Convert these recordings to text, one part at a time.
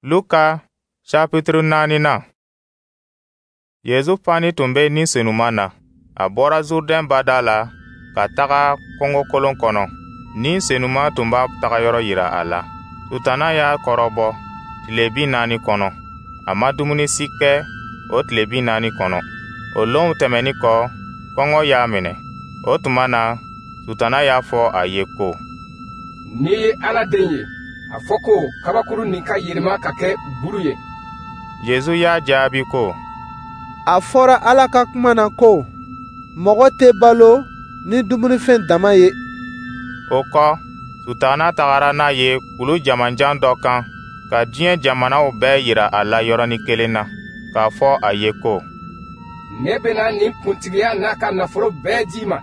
Luka chapitre naaninan. Yezu fani tun bɛ Ni Senuma na. A bɔra Zurdɛn bada la ka taga kungokolon kɔnɔ. Ni Senuma tun b'a tagayɔrɔ yira a la. Sutana y'a kɔrɔbɔ tile 40 kɔnɔ. A ma dumuni si kɛ o tile 40 kɔnɔ. O lonw tɛmɛnin kɔ, kɔngɔ y'a minɛ. O tuma na, Sutana y'a fɔ a ye ko: N'i ye Ala den ye, a fɔ ko kabakuru nin ka yɛlɛma ka kɛ buru ye. Yezu y'a jaabi ko: A fɔra Ala ka kuma na ko, mɔgɔ tɛ balo ni dumunifɛn dama ye. O kɔ, Sutana tagara n'a ye kulu jamanjan dɔ kan ka diɲɛ jamanaw bɛɛ yira a la yɔrɔnin kelen na, k'a fɔ a ye ko: Ne bɛna nin kuntigiya n'a ka nafolo bɛɛ di i ma.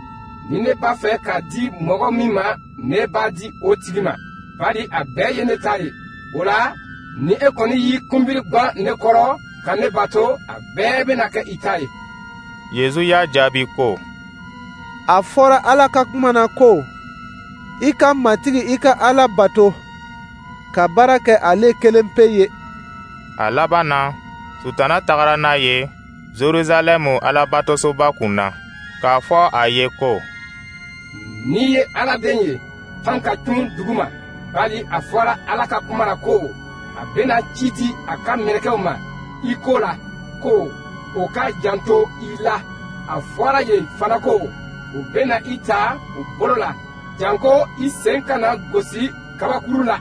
Ni ne b'a fɛ k'a di mɔgɔ min ma, ne b'a di o tigi ma, bari a bɛɛ ye ne ta ye. O la, ni e kɔni y'i kunbiri gwan ne kɔrɔ ka ne bato, a bɛɛ bɛna kɛ i ta ye. Yezu y'a jaabi ko: A fɔra Ala ka kuma na ko, i ka Matigi i ka Ala bato, ka baara kɛ ale kelen pe ye. A laban na, Sutana tagara n'a ye Jerusalɛmu Alabatosoba kun na, k'a fɔ a ye ko: N'i ye Ala den ye, pan ka cun duguma, bari a fɔra Ala ka kuma na ko, a bɛna ci di a ka mɛlɛkɛw ma i ko la, ko o ka janto i la. A fɔra yen fana ko, u bɛna i ta u bolo la, janko i sen kana gosi kabakuru la.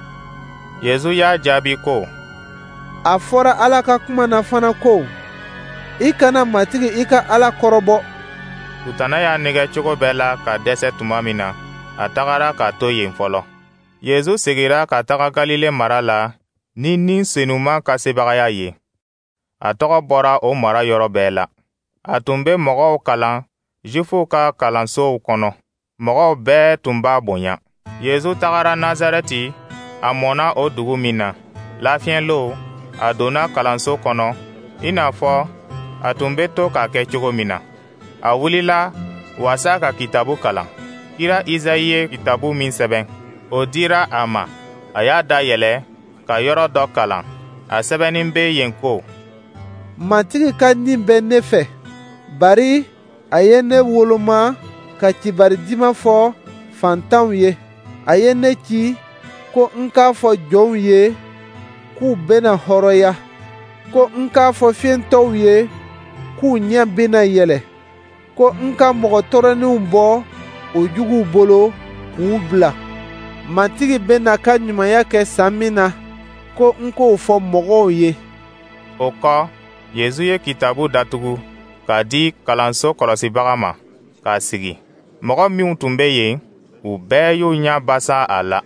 Yezu y'a jaabi ko: A fɔra Ala ka kuma na fana ko, i kana Matigi i ka Ala kɔrɔbɔ. Sutana y'a nɛgɛ cogo bɛɛ la ka dɛsɛ tuma min na, a tagara k'a to yen fɔlɔ. Yezu segira ka taga Galile mara la ni Ni Senuma ka sebagaya ye. A tɔgɔ bɔra o mara yɔrɔ bɛɛ la. A tun bɛ mɔgɔw kalan Zifuw ka kalansow kɔnɔ. Mɔgɔw bɛɛ tun b'a bonya. Yezu tagara Nazarɛti, a mɔnna o dugu min na. Lafiɲɛlon, a donna kalanso kɔnɔ, i n'a fɔ a tun bɛ to k'a kɛ cogo min na. A wulila waasa ka kitabu kalan. Kira Izayi ye kitabu min sɛbɛn, o dira a ma. A y'a dayɛlɛ ka yɔrɔ dɔ kalan. A sɛbɛnnin bɛ yen ko: Matigi ka Ni bɛ ne fɛ, bari a ye ne woloma ka kibari duman fɔ fantanw ye. A ye ne ci ko n k'a fɔ jɔnw ye k'u bɛna hɔrɔnya, ko n k'a fɔ fiyentɔw ye k'u ɲɛ bɛna yɛlɛ, ko n ka mɔgɔ tɔɔrɔlenw bɔ o juguw bolo k'u bila. Matigi bɛna ka ɲumanya kɛ san min na, ko n k'o fɔ mɔgɔw ye. O kɔ, Yezu ye kitabu datugu k'a di kalanso kɔlɔsibaga ma, k'a sigi. Mɔgɔ minw tun bɛ yen, u bɛɛ y'u ɲɛ basa a la.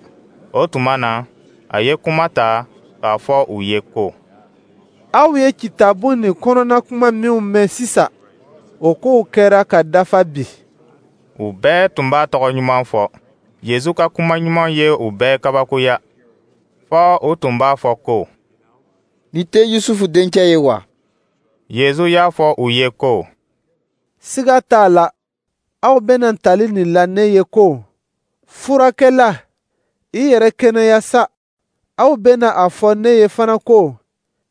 O tuma na, a ye kuma ta k'a fɔ u ye ko: Aw ye kitabu nin kɔnɔna kuma minw mɛn sisan, o kow kɛra ka dafa bi. U bɛɛ tun b'a tɔgɔ ɲuman fɔ. Yezu ka kuma ɲuman ye u bɛɛ kabakoya, fɔ u tun b'a fɔ ko: Nin tɛ Yusufu dencɛ ye wa? Yezu y'a fɔ u ye ko: Siga t'a la, aw bɛna tali nin la ne ye ko, furakɛla, i yɛrɛ kɛnɛya sa. Aw bɛna a fɔ ne ye fana ko,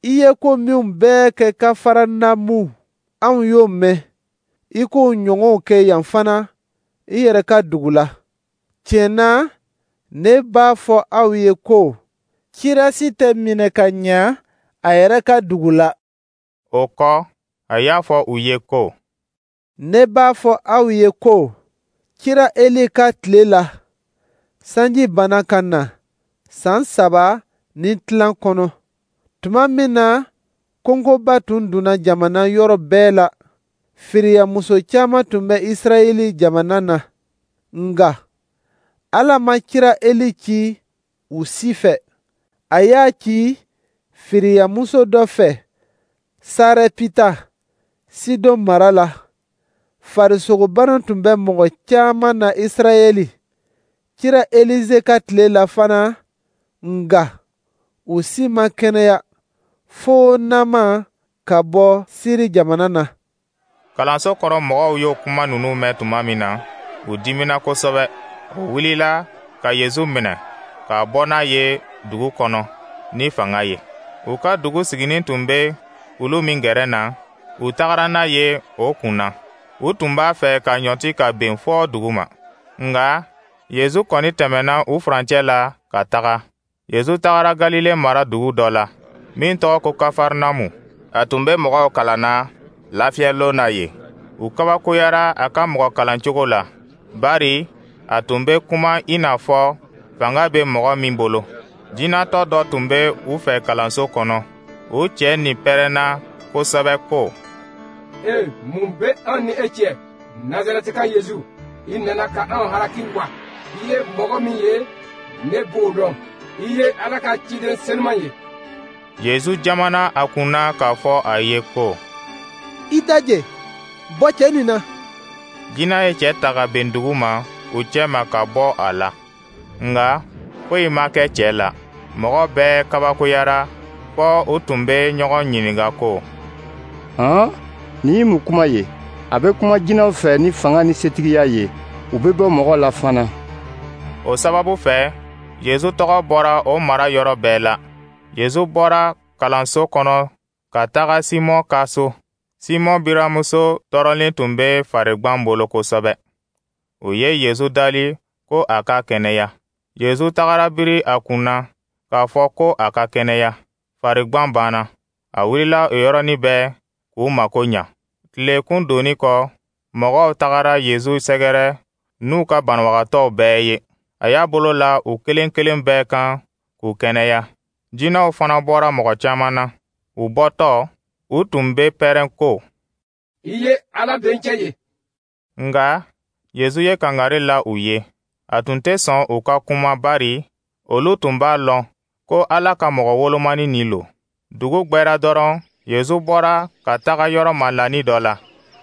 i ye ko minw bɛɛ kɛ Kafaranamu, anw y'o mɛn, i k'o ɲɔgɔnw kɛ yan fana i yɛrɛ ka dugu la. Tiɲɛ na, ne b'a fɔ aw ye ko, kira si tɛ minɛ ka ɲa a yɛrɛ ka dugu la. O kɔ, a y'a fɔ u ye ko: Ne b'a fɔ aw ye ko, kira Eli ka tile la, sanji banna ka na san 3 ni tilan kɔnɔ. Tuma min na kɔngɔba tun donna jamana yɔrɔ bɛɛ la, firiyamuso caman tun bɛ Israɛl jamana na. Nka Ala ma kira Eli ci u si fɛ. A y'a ci firiyamuso dɔ fɛ Sarɛpita, Sidɔn mara la. Farisogobana tun bɛ mɔgɔ caman na Israɛl, kira Elize ka tile la fana, nka u si ma kɛnɛya, fo Nama ka bɔ Siri jamana na. Kalanso kɔrɔ mɔgɔw y'o kuma ninnu mɛn tuma min na, u dimina kosɛbɛ. U wulila ka Yezu minɛ k'a bɔ n'a ye dugu kɔnɔ ni fanga ye. U ka dugu siginin tun bɛ kulu min gɛrɛ na, u tagara n'a ye o kun na. U tun b'a fɛ ka ɲɔti ka ben fɔ dugu ma. Nka Yezu kɔni tɛmɛnna u furancɛ la ka taga. Yezu tagara Galile mara dugu dɔ la, min tɔgɔ ko Kafarnamu. A tun bɛ mɔgɔw kalanna lafiyɛlon na yen. U kabakoyara a ka mɔgɔ kalancogo la, bari a tun bɛ kuma i n'a fɔ fanga bɛ mɔgɔ min bolo. Jinɛtɔ dɔ tun bɛ u fɛ kalanso kɔnɔ. O cɛ nin pɛrɛnna kosɛbɛ ko: E, mun bɛ an ni e cɛ, Nazarɛtika Yezu? I nana ka anw halaki wa? I ye mɔgɔ min ye, ne b'o dɔn. I ye Ala ka ciden senuman ye. Yezu jamana a kunna k'a fɔ a ye ko: I daje, bɔ cɛ nin na. Jinɛ ye cɛ ta ka ben dugu ma u cɛma ka bɔ a la. Nka foyi ma kɛ cɛ la. Mɔgɔ bɛɛ kabakoyara fɔ u tun bɛ ɲɔgɔn ɲininka ko: Han, nin ye mun kuma ye? A bɛ kuma jinɛw fɛ ni fanga ni setigiya ye, u bɛ bɔ mɔgɔ la fana. O sababu fɛ, Yezu tɔgɔ bɔra o mara yɔrɔ bɛɛ la. Yezu bɔra kalanso kɔnɔ ka taga Simɔn ka so. Simɔn biramuso tɔɔrɔlen tun bɛ farigban bolo kosɛbɛ. U ye Yezu dali ko a ka kɛnɛya. Yezu tagara biri a kun na k'a fɔ ko a ka kɛnɛya. Farigban banna. A wulila o yɔrɔnin bɛɛ k'u mako ɲa. Tilekun donni kɔ, mɔgɔw tagara Yezu sɛgɛrɛ n'u ka banabagatɔw bɛɛ ye. A y'a bolo la u kelen kelen bɛɛ kan k'u kɛnɛya. Jinɛw fana bɔra mɔgɔ caman na. U bɔtɔ, u tun bɛ pɛrɛn ko: I ye Ala dencɛ ye. Nka Yezu ye kangari la u ye. A tun tɛ sɔn u ka kuma, bari olu tun b'a lɔn ko Ala ka mɔgɔ wolomani nin lo. Dugu gbɛra dɔrɔn, Yezu bɔra ka taga yɔrɔ malani dɔ la.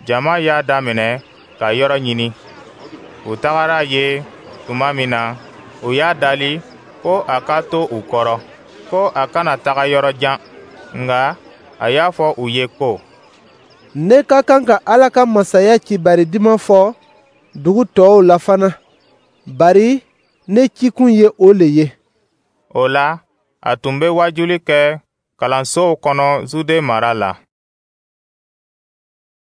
Jama y'a daminɛ ka yɔrɔ ɲini. U tagara ye tuma min na, u y'a dali ko a ka to u kɔrɔ, ko a kana taga yɔrɔ jan. Nka a y'a fɔ u ye ko: Ne ka kan ka Ala ka masaya kibari duman fɔ dugu tɔw la fana, bari ne cikun ye o le ye. O la, a tun bɛ wajuli kɛ kalansow kɔnɔ Zude mara la.